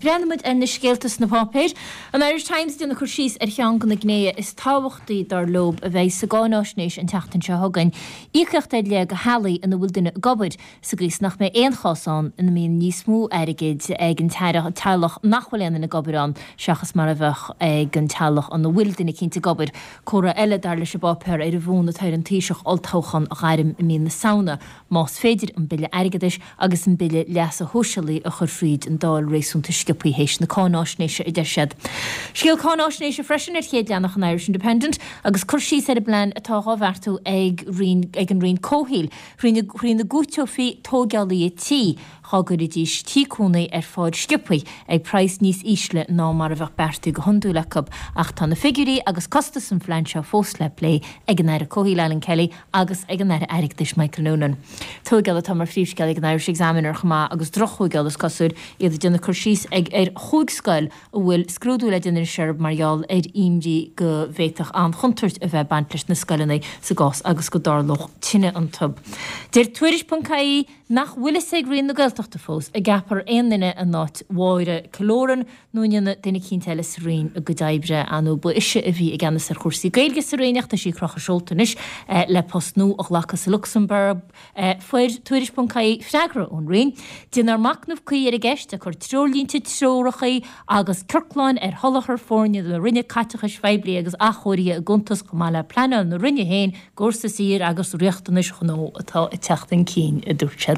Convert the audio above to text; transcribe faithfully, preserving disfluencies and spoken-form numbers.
Breathnaíonn muid ar na scéalta sna páipéir. An Irish Times ag déanamh cur síos ar cheann de na gnéithe is tábhachtaí dar leo a bheidh sa gcáináisnéis an tseachtain seo chugainn, íocaíocht ar leith do theaghlaigh ina bhfuil duine ag obair, sa gcaoi is nach mbeidh aon chás ann ina mbíonn níos mó airgid ag an teaghlach nach bhfuil aon duine ag obair ann seachas mar a bheadh ag an teaghlach ina bhfuil duine eicínt ag obair. Comhartha eile, dar leis an bpáipéar, ar an bhfonn atá ar an Taoiseach olltoghchán a ghairm i mí na Samhna, más féidir an Bille Airgeadais agus an Bille Leasa Shóisialaigh a chur fríd an Dáil réasúnta sciobtha théis na cáináisnéise, a deir siad. Scéal cáináisnéise freisin ar chéad leathanach an Irish Independent agus cur síos ar an bplean atá dhá bheartú ag ag an Roinn Comhshaoil thrína gcúiteofaí tóigeálaithe tí dhá gcuirfidís tí cónaí ar fáil sciobtha ag praghas níos ísle ná mar a bheadh beartaithe go hiondúil acu. Ach tá na figiúirí agus costas an phlean seo fós le plé ag an Aire Comhshaoil Alan Kelly agus ag an Aire Airgeadais Michael Noonan. Tóigeáil atá mar phríomhscéal ag an Irish Examiner chomh maith agus drochthóigeáil is cosúil, iad ag déanamh cur síos ag ar chúig scoil a bhfuil scrúdú le déanamh anois orthu mar gheall ar imní go bhféadfadh an-chontúirt a bheith ag baint leis na scoileanna sa gcás agus go dtarlódh tine iontu. Deir Tuairisc ponc ie nach bhfuil fhios ag Roinn na Gaeltachta fós an gceapfar aon duine in áit Mháire Killoran nó an ndéanfaidh duine eicínt eile sa Roinn a gcuid oibre. Ar ndóigh ba ise a bhí i gceannas ar chúrsaí Gaeilge sa Roinn ach tá sí ag crochadh seolta anois le post nua a ghlacadh sa Lucsamburg. Fuair Tuairisc ponc ie freagra ón Roinn. Déanfar machnamh cuí ar an gceist, ag cur treoirlínte, treoracha agus ciorcláin ar sholáthar foirne na Roinne caiteachais phoiblí agus athchóirithe i gcuntas chomh maith le pleanáil na Roinne féin i gcomhair sa saoir agus riachtanais ghnó atá ag teacht chun cinn, a dúirt siad.